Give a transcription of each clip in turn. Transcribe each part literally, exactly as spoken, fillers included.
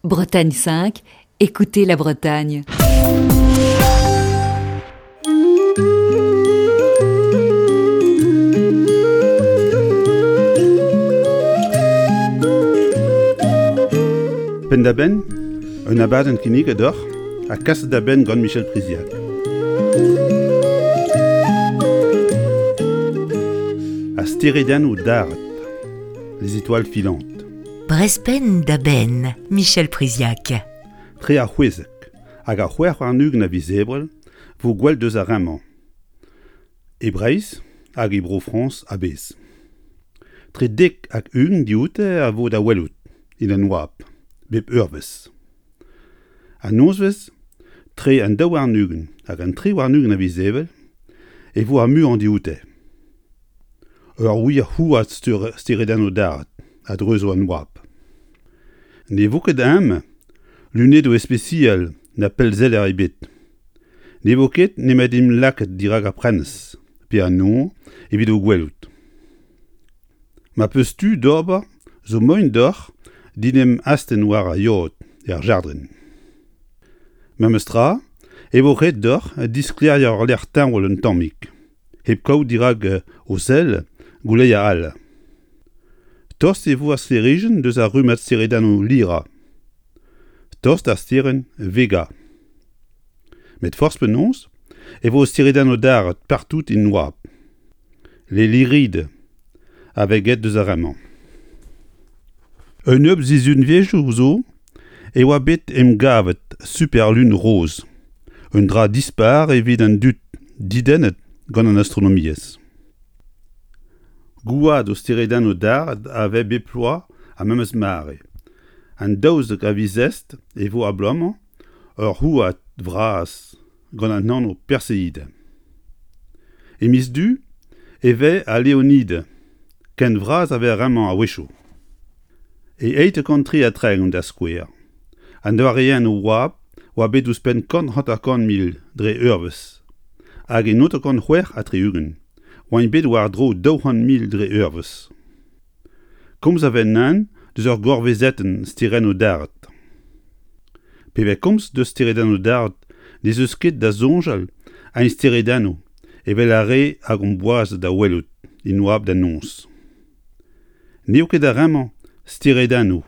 Bretagne cinq, écoutez la Bretagne. Penn-da-benn, un abadenn kinniget deoc'h ha kaset da benn gant Michel Priziac. A steredennoù daret, les étoiles filantes. Brezh penn da benn, Michel Priziac. Tre ar c'hwezek hag ar c'hwec'h warn-ugent a viz Ebrel vo gwell deus ar re-mañ. E Breizh hag e Bro-Frañs a-bezh. Tre dek hag ugent dioute a vo da welout, en an oabl, bep eurvezh. An nozvezh, tre an daou warn-ugent hag an tri warn-ugent a viz Ebrel, e vo ar muiañ dioute. Ur wir houad steredennoù daret a dreuzo an oabl. Ne vo ket ezhomm lunedoù ispisial na pellseller ebet. Ne vo ket nemet em lakaat dirak ar prenestr pe an nor evit o gwelout. Ma peus tu d'ober zo moaien deoc'h d'en em astenn war ar yod er jardrin. Memes tra e vo ret deoc'h disklêriañ ul lec'h teñval un tammig, hep kaout dirak ho sell gouleier all. Tost e vo ar sklêrijenn deus ar rummad steredennoù Lyra. Tost d'ar sterenn Vega. Met forzh penaos e vo steredennoù daret partout en oabl. Les Lyrides a vez graet deus ar re-mañ. Un nebeud sizhunvezhioù zo e oa bet emgavet superlun roz, un dra dispar evit an dud dedennet gant an astronomiezh. Gouadoù steredennoù daret a vez bep bloaz ar memes mare. An daouzek a viz Est e vo ar bloaz-mañ ur houad vras gant an anv Perseid. E miz Du e vez al Leonid, ken vras a vez ar re-mañ a-wechoù. E eizh kant tri ha tregont da skouer, an doareennoù oabl oa bet ouzhpenn kant hanter-kant mil dre eurvezh, hag e naontek c'hwec'h ha tri-ugent oant bet war-dro daou c'hant mil dre eurvezh. Komz a vez neuze deus ur gourvezetenn sterennoù daret. Pe vez komz deus steredennoù daret n'ez eus ket da soñjal a steredennoù evel ar re hag omp boas da welout en oabl da noz. N'eo ket ar re-mañ steredennoù,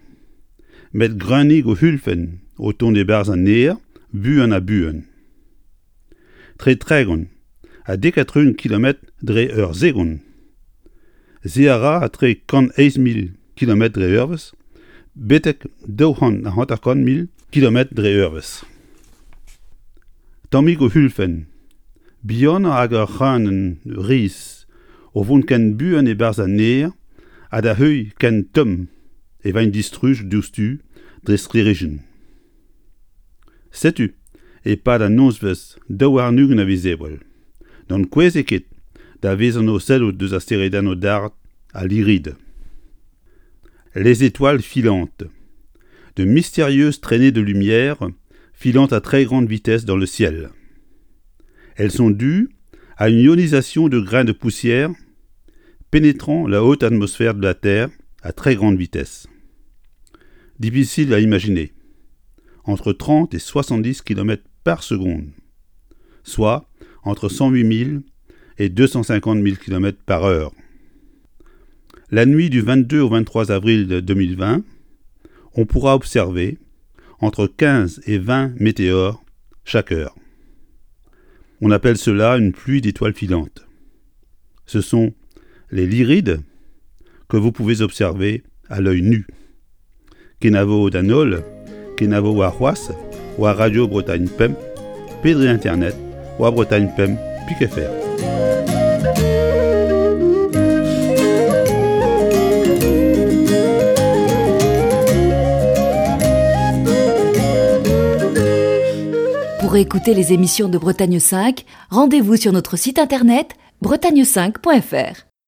met greunigoù ulfenn o tont e-barzh an aer buan ha buan. Tre tregont ha dek ha tri-ugent kilometr dre ur segond. Se a ra etre kant eizh mil kilometr dre eurvezh betek daou c'hant ha hanter-kant mil kilometr dre eurvezh. Tammigoù ulfenn, bihanoc'h hag ur c'hreunenn riz o vont ken buan e-barzh an aer ha da heuilh ken tomm e vint distrujet diouzhtu dre sklêrijenn. Setu e-pad an nozvezh daou warn-ugent a viz Ebrel. N'ankouezit ket da vezañ o sellout deus ar steredennoù daret ha Lyrides. Les étoiles filantes, de mystérieuses traînées de lumière filant à très grande vitesse dans le ciel. Elles sont dues à une ionisation de grains de poussière pénétrant la haute atmosphère de la Terre à très grande vitesse. Difficile à imaginer. Entre trente et soixante-dix kilomètres par seconde, soit entre cent huit mille et deux cent cinquante mille kilomètres par heure. La nuit du vingt-deux au vingt-trois avril deux mille vingt, on pourra observer entre quinze et vingt météores chaque heure. On appelle cela une pluie d'étoiles filantes. Ce sont les Lyrides que vous pouvez observer à l'œil nu. Kenavo d'an holl, kenavo war c'hoazh, war Radio Bretagne pemp, pe dre Internet, war Bretagne pemp pik F R. Pour écouter les émissions de Bretagne cinq, rendez-vous sur notre site internet bretagne cinq point F R.